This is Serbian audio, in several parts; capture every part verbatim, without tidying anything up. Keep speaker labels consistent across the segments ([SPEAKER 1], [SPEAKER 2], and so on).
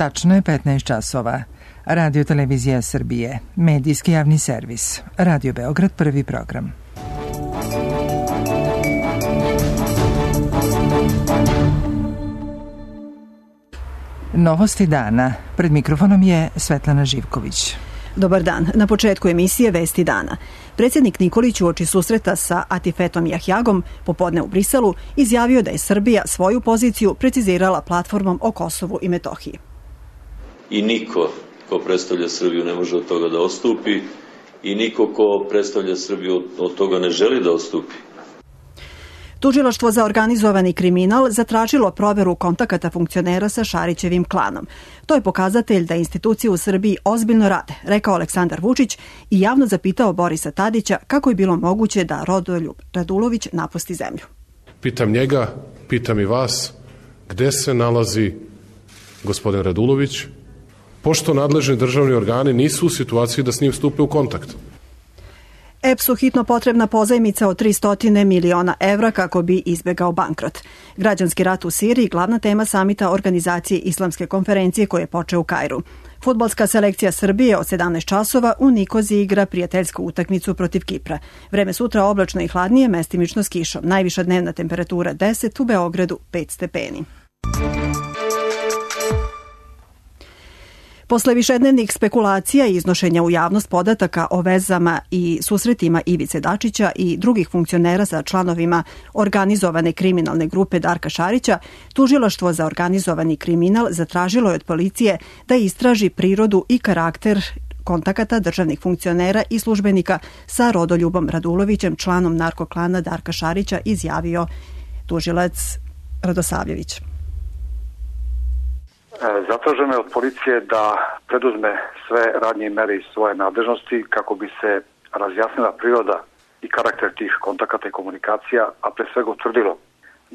[SPEAKER 1] Tačno je petnaest časova. Radio Televizija Srbije, medijski javni servis. Radio Beograd, prvi program. Novosti dana. Pred mikrofonom je Svetlana Živković.
[SPEAKER 2] Dobar dan. Na početku emisije Vesti dana. Predsjednik Nikolić uoči susreta sa Atifetom Jahjagom popodne u Briselu izjavio da je Srbija svoju poziciju precizirala platformom o Kosovu i Metohiji.
[SPEAKER 3] I niko ko predstavlja Srbiju ne može od toga da odstupi i niko ko predstavlja Srbiju od toga ne želi da odstupi.
[SPEAKER 2] Tužilaštvo za organizovani kriminal zatražilo proveru kontakata funkcionera sa Šarićevim klanom. To je pokazatelj da institucije u Srbiji ozbiljno rade, rekao Aleksandar Vučić i javno zapitao Borisa Tadića kako je bilo moguće da Rodoljub Radulović napusti zemlju.
[SPEAKER 4] Pitam njega, pitam i vas, gde se nalazi gospodin Radulović, pošto nadležni državni organi nisu u situaciji da s njim stupe u kontakt.
[SPEAKER 2] E P S-u hitno potrebna pozajmica od tristo miliona evra kako bi izbegao bankrot. Građanski rat u Siriji glavna tema samita organizacije Islamske konferencije koje je počeo u Kairu. Fudbalska selekcija Srbije od sedamnaest časova u Nikoziji igra prijateljsku utakmicu protiv Kipra. Vreme sutra oblačno i hladnije, mestimično s kišom. Najviša dnevna temperatura deset, u Beogradu pet stepeni. Posle višednevnih spekulacija i iznošenja u javnost podataka o vezama i susretima Ivice Dačića i drugih funkcionera sa članovima organizovane kriminalne grupe Darka Šarića, Tužilaštvo za organizovani kriminal zatražilo je od policije da istraži prirodu i karakter kontakata državnih funkcionera i službenika sa Rodoljubom Radulovićem, članom narkoklana Darka Šarića, izjavio tužilac Radosavljević.
[SPEAKER 5] Zatraženo je od policije da preduzme sve radnje i mere iz svoje nadležnosti kako bi se razjasnila priroda i karakter tih kontakata i komunikacija, a pre svega utvrdilo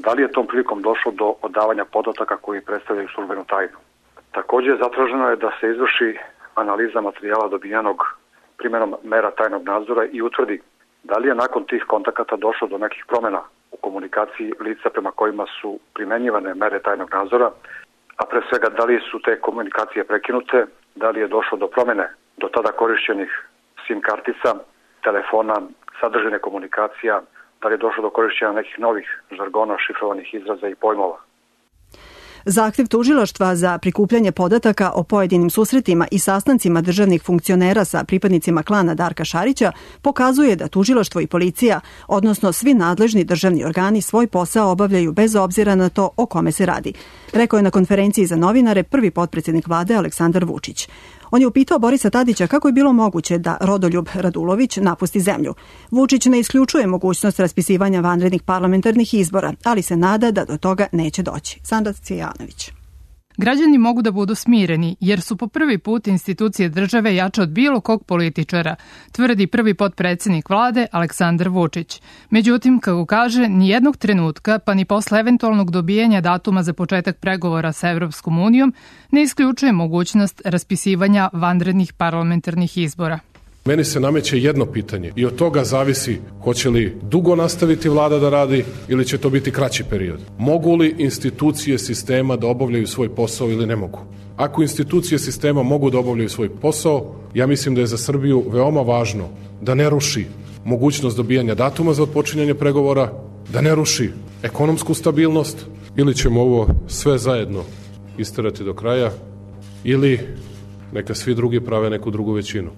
[SPEAKER 5] da li je tom prilikom došlo do odavanja podataka koji predstavljaju službenu tajnu. Također zatraženo je da se izvrši analiza materijala dobijenog primjenom mera tajnog nadzora i utvrdi da li je nakon tih kontakata došlo do nekih promjena u komunikaciji lica prema kojima su primenjivane mere tajnog nadzora, a pre svega da li su te komunikacije prekinute, da li je došlo do promjene do tada korišćenih SIM kartica, telefona, sadržine komunikacija, da li je došlo do korišćenja nekih novih žargona, šifrovanih izraza i pojmova.
[SPEAKER 2] Zahtev tužilaštva za prikupljanje podataka o pojedinim susretima i sastancima državnih funkcionera sa pripadnicima klana Darka Šarića pokazuje da tužilaštvo i policija, odnosno svi nadležni državni organi, svoj posao obavljaju bez obzira na to o kome se radi, rekao je na konferenciji za novinare prvi potpredsjednik vlade Aleksandar Vučić. On je upitao Borisa Tadića kako je bilo moguće da Rodoljub Radulović napusti zemlju. Vučić ne isključuje mogućnost raspisivanja vanrednih parlamentarnih izbora, ali se nada da do toga neće doći. Sandra Cijanović.
[SPEAKER 6] Građani mogu da budu smireni, jer su po prvi put institucije države jače od bilo kog političara, tvrdi prvi potpredsjednik vlade Aleksandar Vučić. Međutim, kako kaže, nijednog trenutka, pa ni posle eventualnog dobijanja datuma za početak pregovora sa Evropskom unijom, ne isključuje mogućnost raspisivanja vanrednih parlamentarnih izbora.
[SPEAKER 4] Meni se nameće jedno pitanje i od toga zavisi hoće li dugo nastaviti vlada da radi ili će to biti kraći period. Mogu li institucije sistema da obavljaju svoj posao ili ne mogu? Ako institucije sistema mogu da obavljaju svoj posao, ja mislim da je za Srbiju veoma važno da ne ruši mogućnost dobijanja datuma za otpočinjanje pregovora, da ne ruši ekonomsku stabilnost, ili ćemo ovo sve zajedno isterati do kraja, ili neka svi drugi prave neku drugu većinu.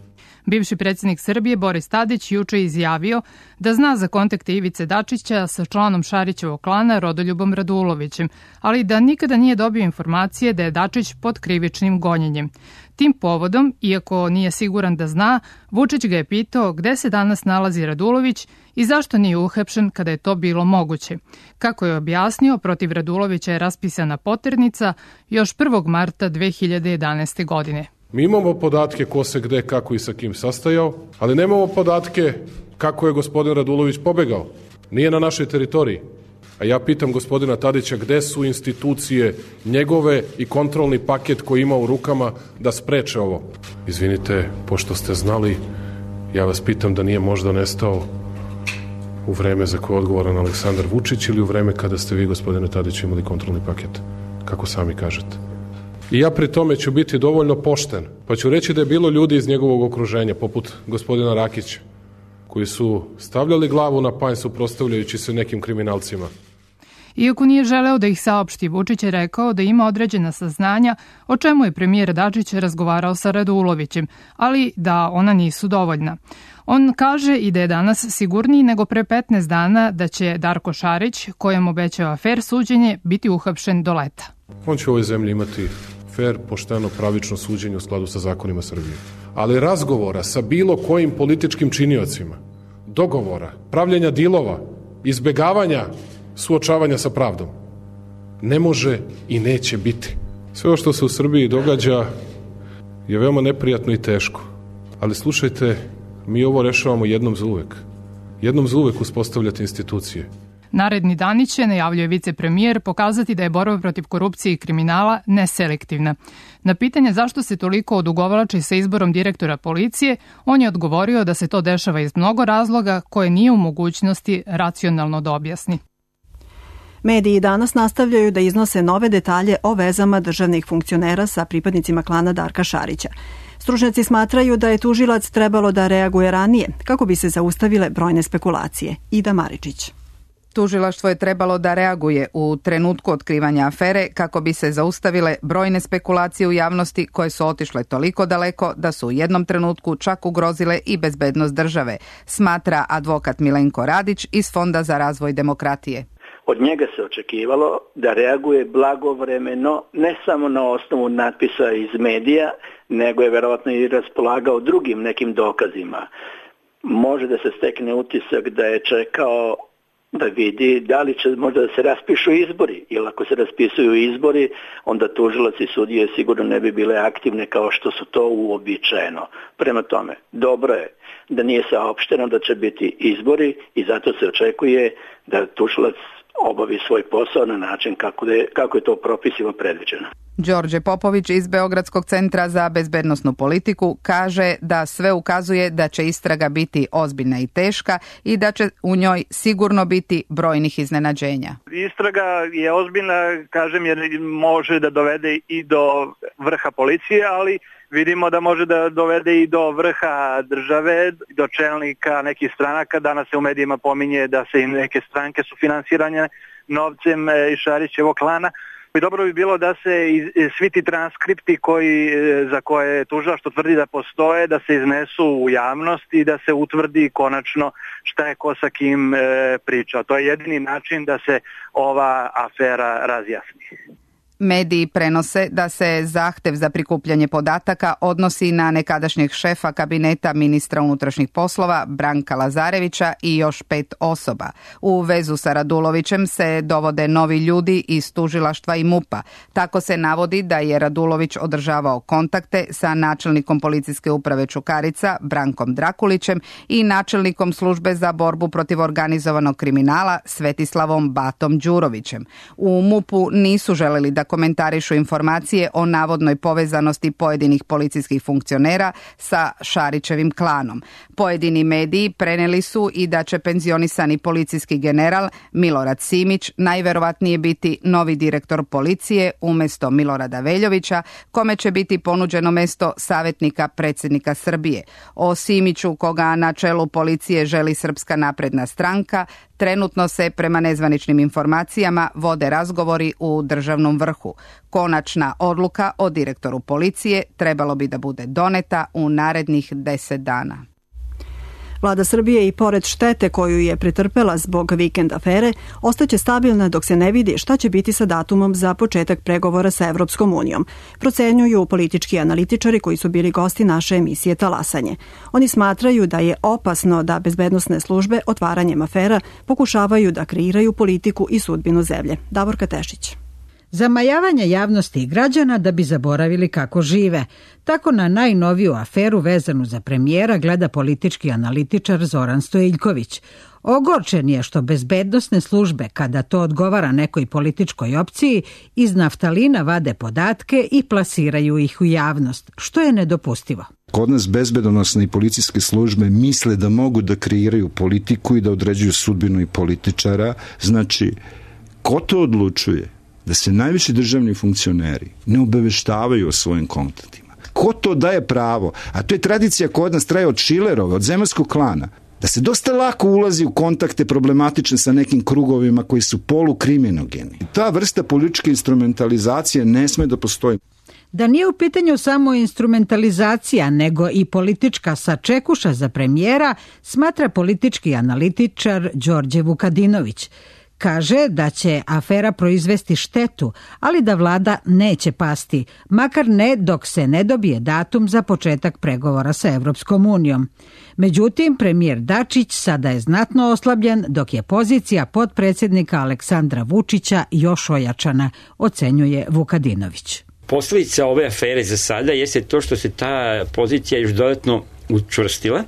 [SPEAKER 6] Bivši predsjednik Srbije Boris Tadić juče izjavio da zna za kontakte Ivice Dačića sa članom Šarićevog klana Rodoljubom Radulovićem, ali da nikada nije dobio informacije da je Dačić pod krivičnim gonjenjem. Tim povodom, iako nije siguran da zna, Vučić ga je pitao gde se danas nalazi Radulović i zašto nije uhapšen kada je to bilo moguće. Kako je objasnio, protiv Radulovića je raspisana poternica još prvog marta dve hiljade jedanaeste. godine.
[SPEAKER 4] Mi imamo podatke ko se gde, kako i sa kim sastajao, ali nemamo podatke kako je gospodin Radulović pobegao. Nije na našoj teritoriji. A ja pitam gospodina Tadića gde su institucije njegove i kontrolni paket koji ima u rukama da spreče ovo. Izvinite, pošto ste znali, ja vas pitam da nije možda nestao u vreme za koje je odgovoran Aleksandar Vučić ili u vreme kada ste vi, gospodine Tadić, imali kontrolni paket, kako sami kažete. I ja pri tome ću biti dovoljno pošten, pa ću reći da je bilo ljudi iz njegovog okruženja, poput gospodina Rakića, koji su stavljali glavu na panj suprotstavljajući se nekim kriminalcima.
[SPEAKER 6] Iako nije želeo da ih saopšti, Vučić je rekao da ima određena saznanja o čemu je premijer Dačić razgovarao sa Radulovićem, ali da ona nisu dovoljna. On kaže i da je danas sigurniji nego pre petnaest dana da će Darko Šarić, kojem obećava fer suđenje, biti uhapšen do leta.
[SPEAKER 4] On će u ovoj zemlji imati fer, pošteno, pravično suđenje u skladu sa zakonima Srbije. Ali razgovora sa bilo kojim političkim činiocima, dogovora, pravljenja dilova, izbegavanja suočavanja sa pravdom, ne može i neće biti. Sve ovo što se u Srbiji događa je veoma neprijatno i teško. Ali slušajte, mi ovo rešavamo jednom za uvek. Jednom za uvek uspostavljati institucije.
[SPEAKER 6] Naredni dani će, najavljuje vicepremijer, pokazati da je borba protiv korupcije i kriminala neselektivna. Na pitanje zašto se toliko odugovlači sa izborom direktora policije, on je odgovorio da se to dešava iz mnogo razloga koje nije u mogućnosti racionalno da objasni.
[SPEAKER 2] Mediji danas nastavljaju da iznose nove detalje o vezama državnih funkcionera sa pripadnicima klana Darka Šarića. Stručnjaci smatraju da je tužilac trebalo da reaguje ranije kako bi se zaustavile brojne spekulacije. Ida Maričić.
[SPEAKER 7] Tužilaštvo je trebalo da reaguje u trenutku otkrivanja afere kako bi se zaustavile brojne spekulacije u javnosti koje su otišle toliko daleko da su u jednom trenutku čak ugrozile i bezbednost države, smatra advokat Milenko Radić iz Fonda za razvoj demokratije.
[SPEAKER 8] Od njega se očekivalo da reaguje blagovremeno, ne samo na osnovu natpisa iz medija, nego je verovatno i raspolagao drugim nekim dokazima. Može da se stekne utisak da je čekao da vidi da li će možda da se raspišu izbori, jer ako se raspisuju izbori, onda tužilac i sudije sigurno ne bi bile aktivne kao što su to uobičajeno. Prema tome, dobro je da nije saopšteno da će biti izbori i zato se očekuje da tužilac obavi svoj posao na način kako je, kako je to propisima predviđeno.
[SPEAKER 7] Đorđe Popović iz Beogradskog centra za bezbednosnu politiku kaže da sve ukazuje da će istraga biti ozbiljna i teška i da će u njoj sigurno biti brojnih iznenađenja.
[SPEAKER 9] Istraga je ozbiljna, kažem, jer može da dovede i do vrha policije, ali vidimo da može da dovede i do vrha države, do čelnika nekih stranaka. Danas se u medijima pominje da se i neke stranke su finansirane novcem iz Šarićevog klana. I dobro bi bilo da se svi ti transkripti koji, za koje tužilaštvo tvrdi da postoje, da se iznesu u javnost i da se utvrdi konačno šta je ko sa kim pričao. To je jedini način da se ova afera razjasni.
[SPEAKER 7] Mediji prenose da se zahtev za prikupljanje podataka odnosi na nekadašnjeg šefa kabineta ministra unutrašnjih poslova Branka Lazarevića i još pet osoba. U vezu sa Radulovićem se dovode novi ljudi iz tužilaštva i MUP-a. Tako se navodi da je Radulović održavao kontakte sa načelnikom policijske uprave Čukarica Brankom Drakulićem i načelnikom službe za borbu protiv organizovanog kriminala Svetislavom Batom Đurovićem. U MUP-u nisu želeli da komentarišu informacije o navodnoj povezanosti pojedinih policijskih funkcionera sa Šarićevim klanom. Pojedini mediji preneli su i da će penzionisani policijski general Milorad Simić najverovatnije biti novi direktor policije umjesto Milorada Veljovića, kome će biti ponuđeno mesto savjetnika predsjednika Srbije. O Simiću, koga na čelu policije želi Srpska napredna stranka, trenutno se prema nezvaničnim informacijama vode razgovori u državnom vrhu. Konačna odluka o direktoru policije trebalo bi da bude doneta u narednih deset dana.
[SPEAKER 2] Vlada Srbije i pored štete koju je pretrpela zbog vikend afere, ostaće stabilna dok se ne vidi šta će biti sa datumom za početak pregovora sa Evropskom unijom, procenjuju politički analitičari koji su bili gosti naše emisije Talasanje. Oni smatraju da je opasno da bezbednosne službe otvaranjem afera pokušavaju da kreiraju politiku i sudbinu zemlje. Davorka Tešić.
[SPEAKER 10] Zamajavanje javnosti i građana da bi zaboravili kako žive. Tako na najnoviju aferu vezanu za premijera gleda politički analitičar Zoran Stojiljković. Ogorčen je što bezbednosne službe, kada to odgovara nekoj političkoj opciji, iz naftalina vade podatke i plasiraju ih u javnost, što je nedopustivo.
[SPEAKER 11] Kod nas bezbednosne i policijske službe misle da mogu da kreiraju politiku i da određuju sudbinu i političara. Znači, ko to odlučuje? da se najviši državni funkcioneri ne obaveštavaju o svojim kontaktima. Ko to daje pravo? A to je tradicija koja od nas traje od Šilerova, od Zemunskog klana, da se dosta lako ulazi u kontakte problematične sa nekim krugovima koji su polukriminogeni. Ta vrsta političke instrumentalizacije ne sme da postoji.
[SPEAKER 10] Da nije u pitanju samo instrumentalizacija, nego i politička sačekuša za premijera, smatra politički analitičar Đorđe Vukadinović. Kaže da će afera proizvesti štetu, ali da vlada neće pasti, makar ne dok se ne dobije datum za početak pregovora sa Evropskom unijom. Međutim, premijer Dačić sada je znatno oslabljen, dok je pozicija potpredsjednika Aleksandra Vučića još ojačana, ocenjuje Vukadinović.
[SPEAKER 12] Posljedica ove afere za sada jeste to što se ta pozicija još dodatno učvrstila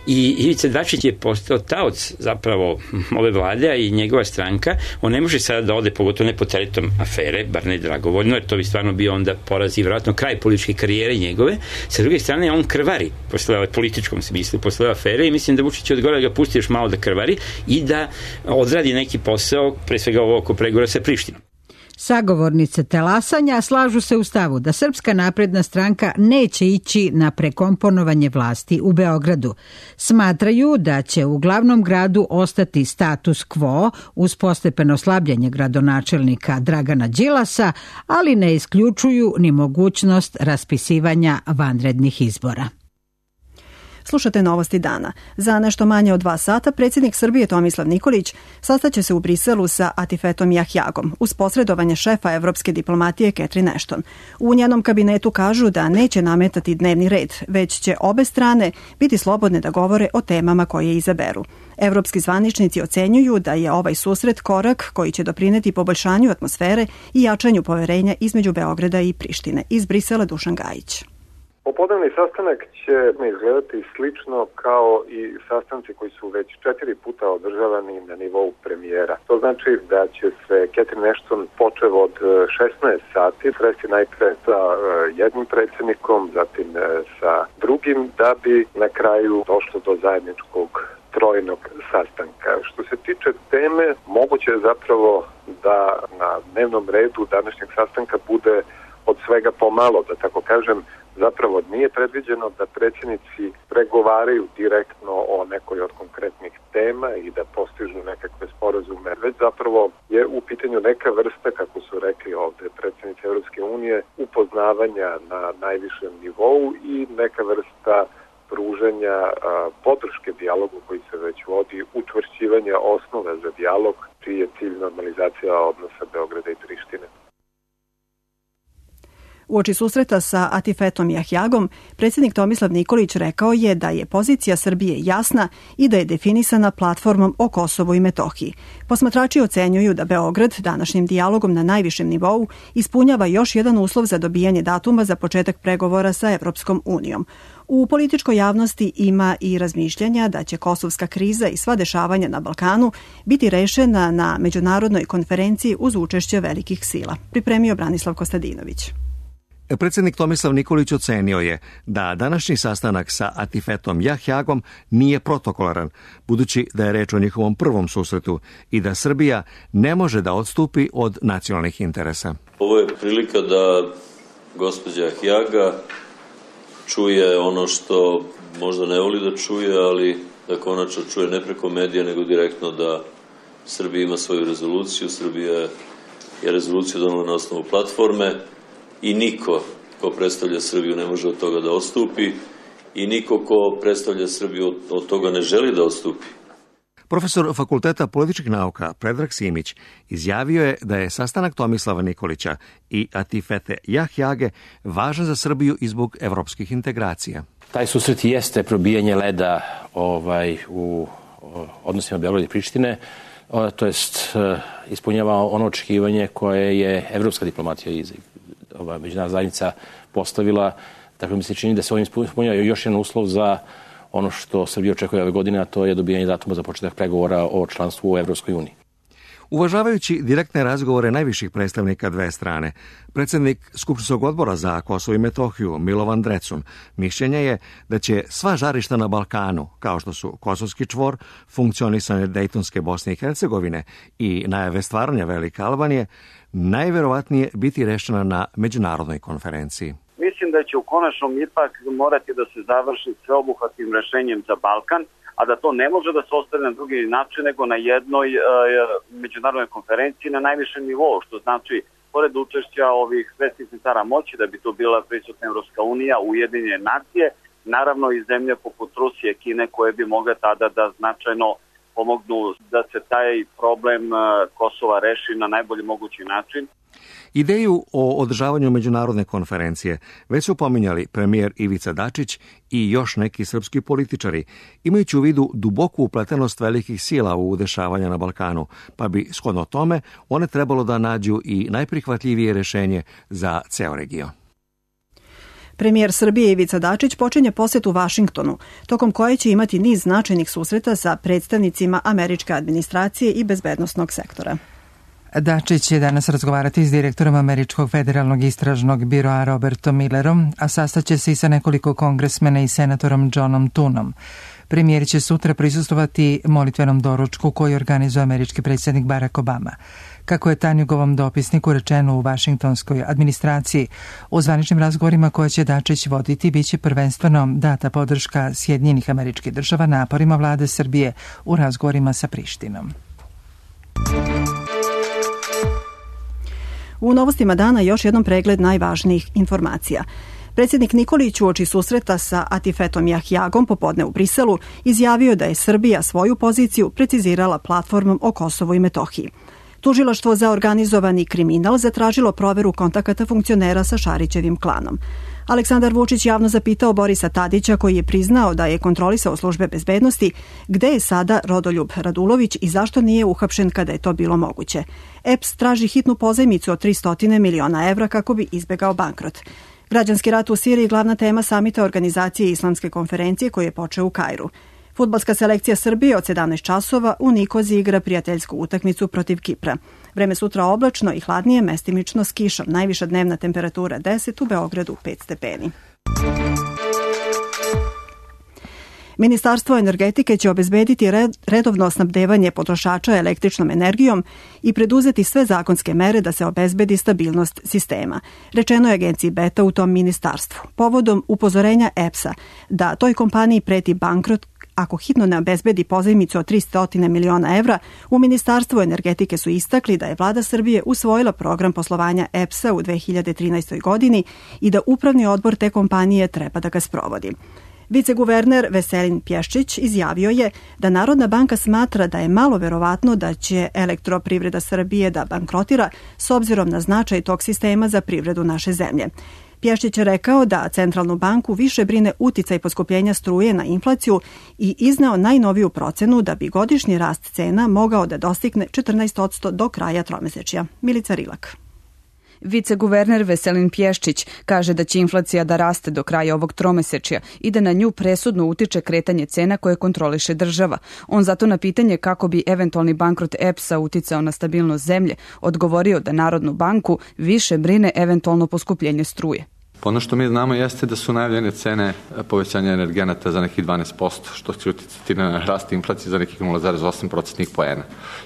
[SPEAKER 12] i Ivica Dačić je postao taoc zapravo ove vlade i njegova stranka. On ne može sada da ode, pogotovo ne pod teretom afere, bar ne dragovoljno, jer to bi stvarno bio onda poraz i vjerojatno kraj političke karijere njegove. Sa druge strane, on krvari posle ove političkom smislu, posle ove afere i mislim da Vučić je odgovorio da ga pusti još malo da krvari i da odradi neki posao, pre svega ovo oko pregovora sa Prištinom.
[SPEAKER 10] Sagovornice telasanja slažu se u stavu da Srpska napredna stranka neće ići na prekomponovanje vlasti u Beogradu. Smatraju da će u glavnom gradu ostati status quo uz postepeno slabljenje gradonačelnika Dragana Đilasa, ali ne isključuju ni mogućnost raspisivanja vanrednih izbora.
[SPEAKER 2] Slušate Novosti dana. Za nešto manje od dva sata predsjednik Srbije Tomislav Nikolić sastaće se u Briselu sa Atifetom Jahjagom uz posredovanje šefa evropske diplomatije Catherine Ashton. U njenom kabinetu kažu da neće nametati dnevni red, već će obe strane biti slobodne da govore o temama koje izaberu. Evropski zvaničnici ocenjuju da je ovaj susret korak koji će doprineti poboljšanju atmosfere i jačanju poverenja između Beograda i Prištine. Iz Brisela Dušan Gajić.
[SPEAKER 13] Popodnevni sastanak će izgledati slično kao i sastanci koji su već četiri puta održavani na nivou premijera. To znači da će se Catherine Ashton počev od šesnaest sati sresti najpre sa jednim predsjednikom, zatim sa drugim, da bi na kraju došlo do zajedničkog trojnog sastanka. Što se tiče teme, moguće je zapravo da na dnevnom redu današnjeg sastanka bude od svega pomalo, da tako kažem. Zapravo nije predviđeno da predsjednici pregovaraju direktno o nekoj od konkretnih tema i da postižu nekakve sporazume, već zapravo je u pitanju neka vrsta, kako su rekli ovde predsjednici Evropske unije, upoznavanja na najvišem nivou i neka vrsta pruženja a, podrške dijalogu koji se već vodi, učvršćivanja osnove za dijalog, čiji je cilj normalizacija odnosa Beograda i Prištine.
[SPEAKER 2] Uoči susreta sa Atifetom Jahjagom, predsjednik Tomislav Nikolić rekao je da je pozicija Srbije jasna i da je definisana platformom o Kosovu i Metohiji. Posmatrači ocenjuju da Beograd današnjim dijalogom na najvišem nivou ispunjava još jedan uslov za dobijanje datuma za početak pregovora sa Evropskom unijom. U političkoj javnosti ima i razmišljanja da će kosovska kriza i sva dešavanja na Balkanu biti rešena na međunarodnoj konferenciji uz učešće velikih sila. Pripremio Branislav Kostadinović.
[SPEAKER 14] Predsjednik Tomislav Nikolić ocenio je da današnji sastanak sa Atifetom Jahjagom nije protokolaran, budući da je reč o njihovom prvom susretu i da Srbija ne može da odstupi od nacionalnih interesa.
[SPEAKER 3] Ovo je prilika da gospođa Jahjaga čuje ono što možda ne voli da čuje, ali da konačno čuje ne preko medija, nego direktno da Srbija ima svoju rezoluciju. Srbija je rezoluciju donela na osnovu platforme i niko ko predstavlja Srbiju ne može od toga da odstupi i niko ko predstavlja Srbiju od toga ne želi da odstupi.
[SPEAKER 14] Profesor Fakulteta političkih nauka Predrag Simić izjavio je da je sastanak Tomislava Nikolića i Atifete Jahjage važan za Srbiju i zbog evropskih integracija.
[SPEAKER 15] Taj susret jeste probijanje leda ovaj, u odnosima Beograda i Prištine, to jest ispunjava ono očekivanje koje je evropska diplomatija i ova međunarodna zajednica postavila. Tako mi se čini da se ovim ispunjava još jedan uslov za ono što Srbija očekuje ove godine, a to je dobijanje datuma za početak pregovora o članstvu u Evropskoj uniji.
[SPEAKER 14] Uvažavajući direktne razgovore najviših predstavnika dve strane, predsjednik Skupštinskog odbora za Kosovo i Metohiju Milovan Drecun mišljenja je da će sva žarišta na Balkanu, kao što su Kosovski čvor, funkcionisanje Dejtonske Bosne i Hercegovine i najave stvaranja Velike Albanije, najverovatnije biti rešena na međunarodnoj konferenciji.
[SPEAKER 16] Mislim da će u konačnom ipak morati da se završi sveobuhvatnim rešenjem za Balkan, a da to ne može da se ostane na drugi način nego na jednoj e, međunarodnoj konferenciji na najvišem nivou, što znači pored učešća ovih svetskih centara moći da bi to bila prisutna Evropska unija, Ujedinjene nacije, naravno i zemlje poput Rusije, Kine koje bi mogle tada da značajno pomognu da se taj problem Kosova reši na najbolji mogući način.
[SPEAKER 14] Ideju o održavanju međunarodne konferencije već su pominjali premijer Ivica Dačić i još neki srpski političari, imajući u vidu duboku upletenost velikih sila u dešavanja na Balkanu, pa bi shodno tome one trebalo da nađu i najprihvatljivije rešenje za ceo region.
[SPEAKER 2] Premijer Srbije Ivica Dačić počinje posjet u Vašingtonu, tokom koje će imati niz značajnih susreta sa predstavnicima američke administracije i bezbednosnog sektora.
[SPEAKER 1] Dačić će danas razgovarati s direktorom Američkog federalnog istražnog biroa Robertom Millerom, a sastaće se i sa nekoliko kongresmena i senatorom Johnom Tunom. Premijer će sutra prisustovati molitvenom doručku koji organizuje američki predsjednik Barack Obama. Kako je Tanjugovom dopisniku rečeno u vašingtonskoj administraciji, u zvaničnim razgovorima koje će Dačić voditi biće prvenstveno data podrška Sjedinjenih Američkih Država naporima vlade Srbije u razgovorima sa Prištinom.
[SPEAKER 2] U novostima dana još jednom pregled najvažnijih informacija. Predsjednik Nikolić uoči susreta sa Atifetom Jahjagom popodne u Briselu izjavio da je Srbija svoju poziciju precizirala platformom o Kosovu i Metohiji. Tužilaštvo za organizovani kriminal zatražilo proveru kontakata funkcionera sa Šarićevim klanom. Aleksandar Vučić javno zapitao Borisa Tadića, koji je priznao da je kontrolisao službe bezbednosti, gde je sada Rodoljub Radulović i zašto nije uhapšen kada je to bilo moguće. E P S traži hitnu pozajmicu od tristo miliona evra kako bi izbegao bankrot. Građanski rat u Siriji glavna tema samita organizacije Islamske konferencije koji je počeo u Kairu. Fudbalska selekcija Srbije od sedamnaest časova u Nikozi igra prijateljsku utakmicu protiv Kipra. Vreme sutra oblačno i hladnije, mestimično s kišom. Najviša dnevna temperatura deset, u Beogradu pet stepeni. Ministarstvo energetike će obezbediti redovno snabdevanje potrošača električnom energijom i preduzeti sve zakonske mere da se obezbedi stabilnost sistema. Rečeno je agenciji Beta u tom ministarstvu. Povodom upozorenja E P S-a da toj kompaniji preti bankrot ako hitno ne obezbedi pozajmicu od tristo miliona evra, u Ministarstvu energetike su istakli da je vlada Srbije usvojila program poslovanja E P S-a u dve hiljade trinaestoj. godini i da upravni odbor te kompanije treba da ga sprovodi. Viceguverner Veselin Pješčić izjavio je da Narodna banka smatra da je malo verovatno da će Elektroprivreda Srbije da bankrotira s obzirom na značaj tog sistema za privredu naše zemlje. Pješčić je rekao da Centralnu banku više brine uticaj poskupljenja struje na inflaciju i izneo najnoviju procenu da bi godišnji rast cena mogao da dostigne četrnaest posto do kraja tromesečja. Milica Rilak.
[SPEAKER 17] Viceguverner Veselin Pješčić kaže da će inflacija da raste do kraja ovog tromesečja i da na nju presudno utiče kretanje cena koje kontroliše država. On zato na pitanje kako bi eventualni bankrot E P S-a uticao na stabilnost zemlje odgovorio da Narodnu banku više brine eventualno poskupljenje struje.
[SPEAKER 18] Ono što mi znamo jeste da su najavljene cene povećanja energenata za nekih dvanaest posto, što će uticati na rast inflacije za nekih nula zarez osam procentnih poena.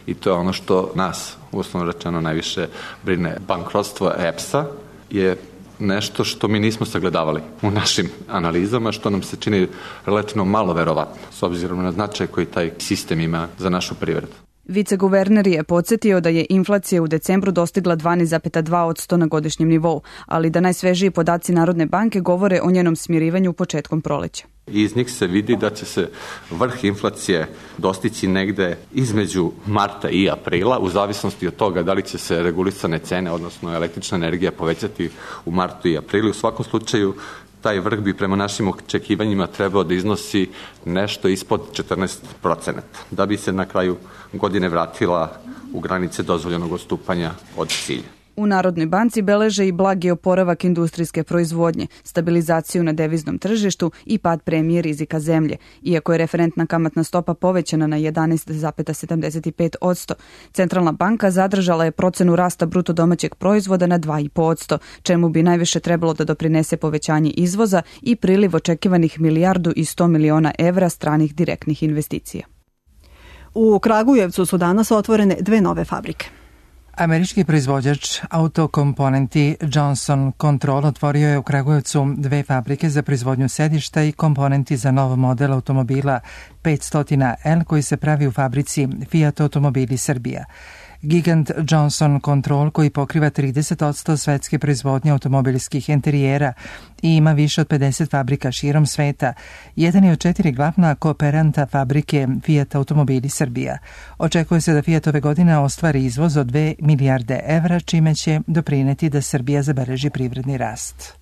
[SPEAKER 18] I to je ono što nas, uslovno rečeno, najviše brine. Bankrotstvo E P S-a je nešto što mi nismo sagledavali u našim analizama, što nam se čini relativno malo verovatno, s obzirom na značaj koji taj sistem ima za našu privredu.
[SPEAKER 17] Viceguverner je podsjetio da je inflacija u decembru dostigla dvanaest zarez dva posto na godišnjem nivou, ali da najsvežiji podaci Narodne banke govore o njenom smirivanju početkom proleća.
[SPEAKER 18] Iz njih se vidi da će se vrh inflacije dostići negde između marta i aprila, u zavisnosti od toga da li će se regulisane cene, odnosno električna energija, povećati u martu i aprilu. U svakom slučaju, taj vrh bi prema našim očekivanjima trebao da iznosi nešto ispod četrnaest procenata, da bi se na kraju godine vratila u granice dozvoljenog odstupanja od cilja.
[SPEAKER 17] U Narodnoj banci beleže i blagi oporavak industrijske proizvodnje, stabilizaciju na deviznom tržištu i pad premije rizika zemlje. Iako je referentna kamatna stopa povećana na jedanaest zarez sedamdeset pet posto, Centralna banka zadržala je procenu rasta bruto domaćeg proizvoda na dva zarez pet posto, čemu bi najviše trebalo da doprinese povećanje izvoza i priliv očekivanih milijardu i sto miliona evra stranih direktnih investicija.
[SPEAKER 2] U Kragujevcu su danas otvorene dve nove fabrike.
[SPEAKER 1] Američki proizvođač autokomponenti Johnson Control otvorio je u Kragujevcu dve fabrike za proizvodnju sedišta i komponenti za nov model automobila petsto L koji se pravi u fabrici Fiat Automobili Srbija. Gigant Johnson Control, koji pokriva trideset posto svetske proizvodnje automobilskih interijera i ima više od pedeset fabrika širom sveta, jedan je od četiri glavna kooperanta fabrike Fiat Automobili Srbija. Očekuje se da Fiat ove godine ostvari izvoz od dve milijarde evra, čime će doprineti da Srbija zabeleži privredni rast.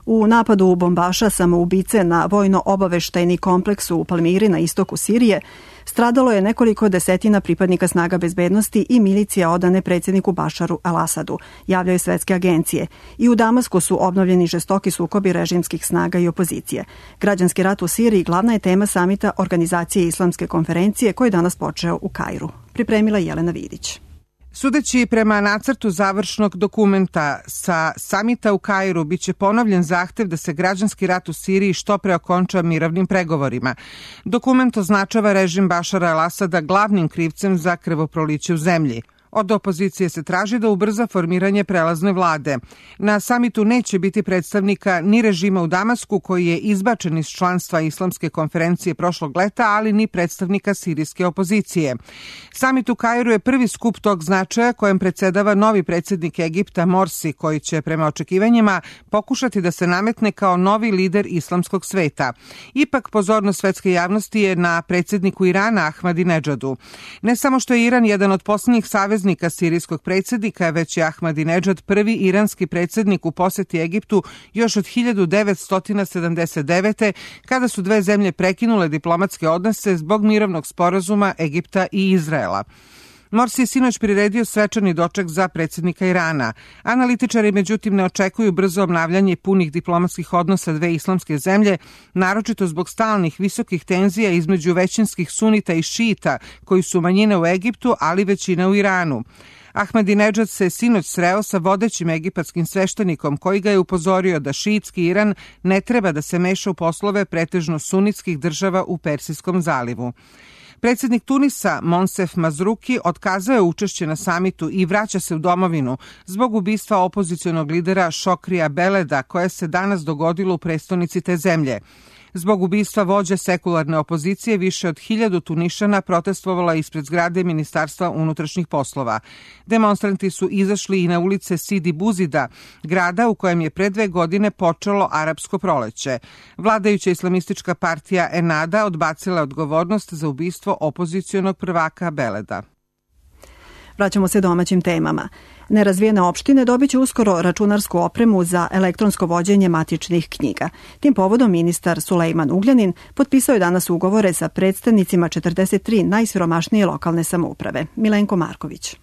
[SPEAKER 2] U napadu bombaša samoubice na vojno-obaveštajni kompleks u Palmiri na istoku Sirije stradalo je nekoliko desetina pripadnika snaga bezbednosti i milicija odane predsjedniku Bašaru al-Asadu, javljaju svetske agencije. I u Damasku su obnovljeni žestoki sukobi režimskih snaga i opozicije. Građanski rat u Siriji glavna je tema samita Organizacije Islamske konferencije koji je danas počeo u Kairu. Pripremila Jelena Vidić.
[SPEAKER 19] Sudeći prema nacrtu završnog dokumenta sa samita u Kairu biće ponovljen zahtev da se građanski rat u Siriji što pre okonča mirovnim pregovorima. Dokument označava režim Bašara al-Asada glavnim krivcem za krvoproliće u zemlji. Od opozicije se traži da ubrza formiranje prelazne vlade. Na samitu neće biti predstavnika ni režima u Damasku, koji je izbačen iz članstva Islamske konferencije prošlog leta, ali ni predstavnika sirijske opozicije. Samit u Kairu je prvi skup tog značaja kojem predsedava novi predsjednik Egipta Morsi, koji će prema očekivanjima pokušati da se nametne kao novi lider islamskog sveta. Ipak pozornost svetske javnosti je na predsjedniku Irana Ahmadinedžadu. Ne samo što je Iran jedan od posljednjih saveznika sirijskog predsjednika, već je Ahmadinedžad prvi iranski predsjednik u posjeti Egiptu još od hiljadu devetsto sedamdeset devete. kada su dve zemlje prekinule diplomatske odnose zbog mirovnog sporazuma Egipta i Izraela. Morsi je sinoć priredio svečani doček za predsjednika Irana. Analitičari međutim ne očekuju brzo obnavljanje punih diplomatskih odnosa dve islamske zemlje, naročito zbog stalnih visokih tenzija između većinskih sunita i šita, koji su manjine u Egiptu, ali većina u Iranu. Ahmadinedžad se sinoć sreo sa vodećim egipatskim sveštenikom koji ga je upozorio da šiitski Iran ne treba da se meša u poslove pretežno sunitskih država u Persijskom zalivu. Predsjednik Tunisa Monsef Mazruki otkazao je učešće na samitu i vraća se u domovinu zbog ubistva opozicionog lidera Šokrija Beleda, koje se danas dogodilo u prestonici te zemlje. Zbog ubistva vođe sekularne opozicije više od hiljadu Tunišana protestvovala ispred zgrade Ministarstva unutrašnjih poslova. Demonstranti su izašli i na ulice Sidi Buzida, grada u kojem je pre dve godine počelo arapsko proleće. Vladajuća islamistička partija Ennahda odbacila odgovornost za ubistvo opozicionog prvaka Beleda.
[SPEAKER 2] Vraćamo se domaćim temama. Nerazvijene opštine dobit će uskoro računarsku opremu za elektronsko vođenje matičnih knjiga. Tim povodom ministar Sulejman Ugljanin potpisao je danas ugovore sa predstavnicima četrdeset tri najsiromašnije lokalne samouprave. Milenko Marković.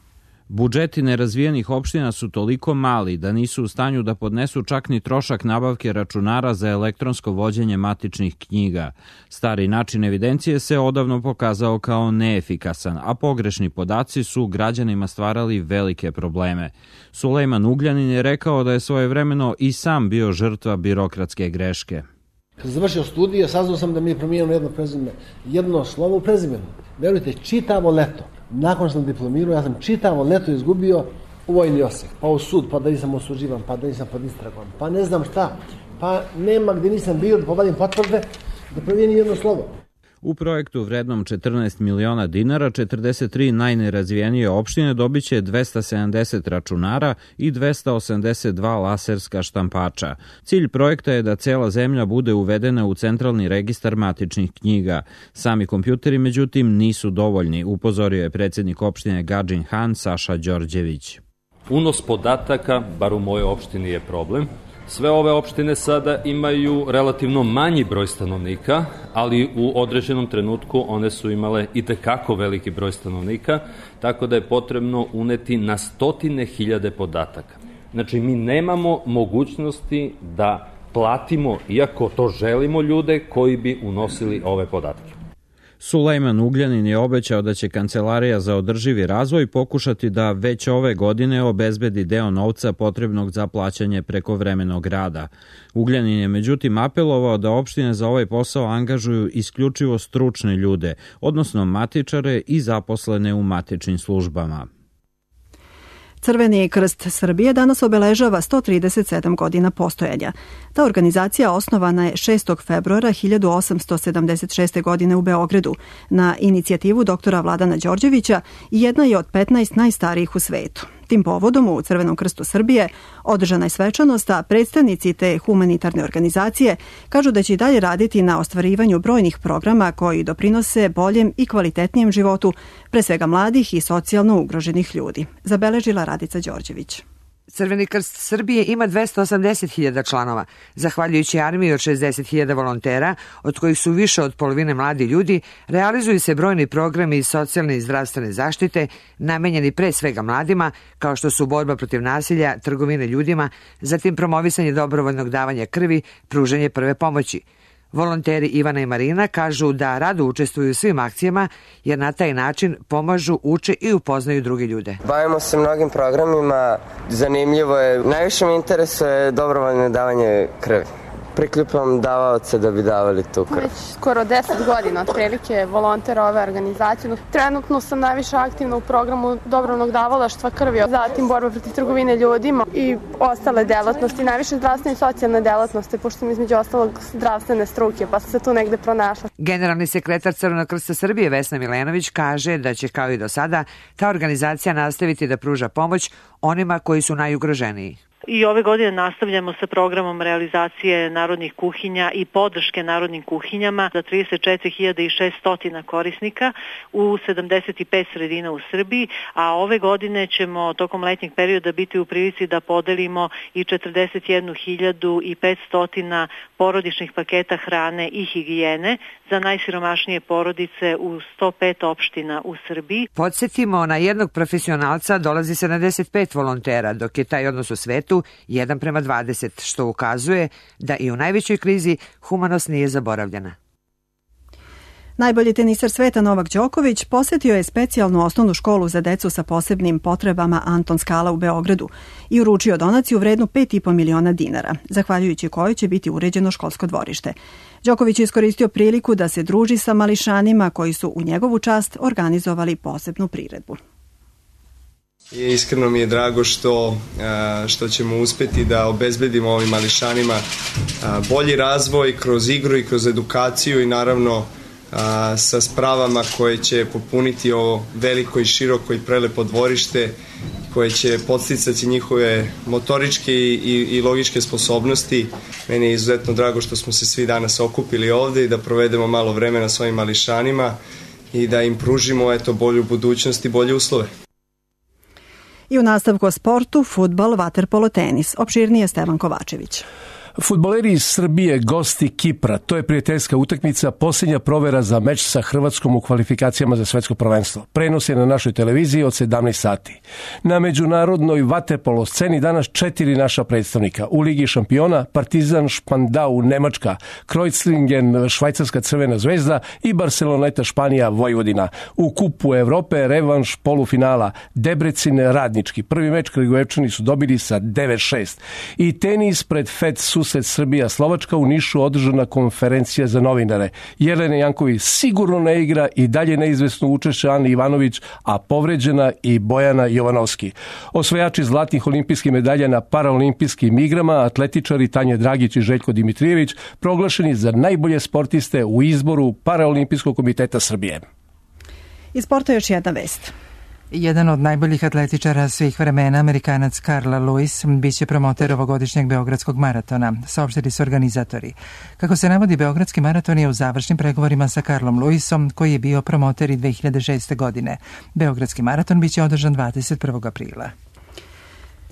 [SPEAKER 20] Budžeti nerazvijenih opština su toliko mali da nisu u stanju da podnesu čak ni trošak nabavke računara za elektronsko vođenje matičnih knjiga. Stari način evidencije se odavno pokazao kao neefikasan, a pogrešni podaci su građanima stvarali velike probleme. Sulejman Ugljanin je rekao da je svojevremeno i sam bio žrtva birokratske greške.
[SPEAKER 21] Kad sam završio studije, saznao sam da mi je promijenjeno jedno prezime, jedno slovo u prezimenu. Verujte, čitavo leto. Nakon što sam diplomirao, ja sam čitavo leto izgubio u vojni osek, pa u sud, pa da nisam osuđivan, pa da nisam pod istragom, pa ne znam šta, pa nema gdje nisam bio da povadim potvrde da promijenim jedno slovo.
[SPEAKER 20] U projektu vrednom četrnaest miliona dinara, četrdeset tri najnerazvijenije opštine dobit će dvesta sedamdeset računara i dvesta osamdeset dva laserska štampača. Cilj projekta je da cela zemlja bude uvedena u centralni registar matičnih knjiga. Sami kompjuteri, međutim, nisu dovoljni, upozorio je predsjednik opštine Gadžin Han Saša Đorđević.
[SPEAKER 22] Unos podataka, bar u mojoj opštini, je problem.
[SPEAKER 5] Sve ove opštine sada imaju relativno manji broj stanovnika, ali u određenom trenutku one su imale i tekako veliki broj stanovnika, tako da je potrebno uneti na stotine hiljade podataka. Znači, mi nemamo mogućnosti da platimo, iako to želimo, ljude koji bi unosili ove podatke.
[SPEAKER 20] Sulejman Ugljanin je obećao da će Kancelarija za održivi razvoj pokušati da već ove godine obezbedi deo novca potrebnog za plaćanje prekovremenog rada. Ugljanin je međutim apelovao da opštine za ovaj posao angažuju isključivo stručne ljude, odnosno matičare i zaposlene u matičnim službama.
[SPEAKER 2] Crveni krst Srbije danas obeležava sto trideset sedam godina postojanja. Ta organizacija osnovana je šestog februara hiljadu osamsto sedamdeset šeste. godine u Beogradu na inicijativu doktora Vladana Đorđevića i jedna je od petnaest najstarijih u svetu. Tim povodom u Crvenom krstu Srbije održana je svečanost, a predstavnici te humanitarne organizacije kažu da će i dalje raditi na ostvarivanju brojnih programa koji doprinose boljem i kvalitetnijem životu, pre svega mladih i socijalno ugroženih ljudi. Zabeležila Radica Đorđević.
[SPEAKER 22] Crveni krst Srbije ima dvesta osamdeset hiljada članova. Zahvaljujući armiji od šezdeset hiljada volontera, od kojih su više od polovine mladi ljudi, realizuju se brojni programi iz socijalne i zdravstvene zaštite, namenjeni pre svega mladima, kao što su borba protiv nasilja, trgovine ljudima, zatim promovisanje dobrovoljnog davanja krvi, pružanje prve pomoći. Volonteri Ivana i Marina kažu da rado učestvuju u svim akcijama jer na taj način pomažu, uče i upoznaju druge ljude.
[SPEAKER 23] Bavimo se mnogim programima, zanimljivo je, najviše me interesuje dobrovoljno davanje krvi. Prikljupam davaoce da bi davali tu krv.
[SPEAKER 24] Već skoro deset godina otprilike volonter ove organizacije. Trenutno sam najviše aktivna u programu dobrovoljnog davalaštva krvi, zatim borba protiv trgovine ljudima i ostale delatnosti, najviše zdravstvene i socijalne delatnosti, pošto sam između ostalog zdravstvene struke, pa sam se tu negde pronašla.
[SPEAKER 22] Generalni sekretar Crvenog krsta Srbije Vesna Milenović kaže da će kao i do sada ta organizacija nastaviti da pruža pomoć onima koji su najugroženiji.
[SPEAKER 25] I ove godine nastavljamo sa programom realizacije narodnih kuhinja i podrške narodnim kuhinjama za trideset četiri hiljade šesto korisnika u sedamdeset pet sredina u Srbiji, a ove godine ćemo tokom letnjeg perioda biti u prilici da podelimo i četrdeset jednu hiljadu petsto porodičnih paketa hrane i higijene za najsiromašnije porodice u sto pet opština u Srbiji.
[SPEAKER 22] Podsjetimo, na jednog profesionalca dolazi sedamdeset pet volontera, dok je taj odnos u svetu jedan prema dvadeset, što ukazuje da i u najvećoj krizi humanost nije zaboravljena.
[SPEAKER 2] Najbolji teniser sveta Novak Đoković posetio je specijalnu osnovnu školu za decu sa posebnim potrebama Anton Skala u Beogradu i uručio donaciju vrednu pet i po miliona dinara, zahvaljujući kojoj će biti uređeno školsko dvorište. Đoković je iskoristio priliku da se druži sa mališanima koji su u njegovu čast organizovali posebnu priredbu.
[SPEAKER 26] I iskreno mi je drago što, što ćemo uspeti da obezbedimo ovim mališanima bolji razvoj kroz igru i kroz edukaciju i naravno sa spravama koje će popuniti ovo veliko i široko i prelepo dvorište koje će podsticati njihove motoričke i, i logičke sposobnosti. Meni je izuzetno drago što smo se svi danas okupili ovde i da provedemo malo vremena s ovim mališanima i da im pružimo eto, bolju budućnost i bolje uslove.
[SPEAKER 2] I u nastavku o sportu, fudbal, vaterpolo, tenis. Opširnije Stevan Kovačević.
[SPEAKER 27] Fudbaleri iz Srbije, gosti Kipra, to je prijateljska utakmica, posljednja provera za meč sa Hrvatskom u kvalifikacijama za svetsko prvenstvo. Prenos je na našoj televiziji od sedamnaest sati. Na međunarodnoj vaterpolo sceni danas četiri naša predstavnika. U Ligi šampiona Partizan Špandau Nemačka, Kreuzlingen Švajcarska Crvena zvezda i Barceloneta Španija Vojvodina. U Kupu Evrope revanš polufinala Debrecin Radnički. Prvi meč Kragujevčani su dobili sa devet šest. I tenis pred Fed susret Srbija Slovačka u Nišu održana konferencija za novinare. Jelena Janković sigurno ne igra i dalje neizvesno učešće Ani Ivanović, a povređena i Bojana Jovanovski. Osvajači zlatnih olimpijskih medalja na paraolimpijskim igrama, atletičari Tanja Dragić i Željko Dimitrijević, proglašeni za najbolje sportiste u izboru Paraolimpijskog komiteta Srbije.
[SPEAKER 2] Iz sporta još jedna vest.
[SPEAKER 1] Jedan od najboljih atletičara svih vremena, Amerikanac Carl Lewis, biće promoter ovogodišnjeg Beogradskog maratona, saopštili su organizatori. Kako se navodi, Beogradski maraton je u završnim pregovorima sa Carlom Lewisom, koji je bio promoter i dve hiljade šeste. godine. Beogradski maraton biće održan dvadeset prvog aprila.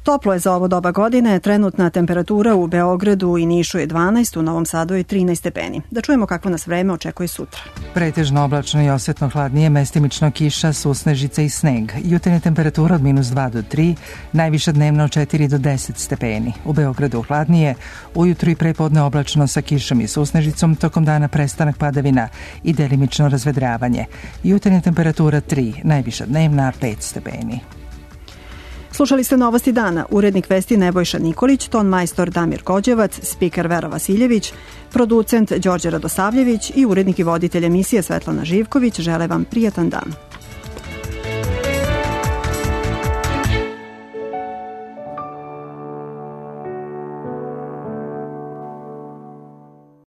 [SPEAKER 2] Toplo je za ovo doba godine, trenutna temperatura u Beogradu i Nišu je dvanaest, u Novom Sadu je trinaest stepeni. Da čujemo kakvo nas vreme očekuje sutra.
[SPEAKER 1] Pretežno oblačno i osetno hladnije, mestimično kiša, susnežica i sneg. Jutarnja temperatura od minus dva do tri, najviša dnevna od četiri do deset stepeni. U Beogradu hladnije, ujutru i prepodne oblačno sa kišom i susnežicom, tokom dana prestanak padavina i delimično razvedravanje. Jutarnja temperatura tri, najviša dnevna pet stepeni.
[SPEAKER 2] Slušali ste Novosti dana, urednik vesti Nebojša Nikolić, ton majstor Damir Kođevac, spiker Vera Vasiljević, producent Đorđe Radosavljević i urednik i voditelj emisije Svetlana Živković žele vam prijatan dan.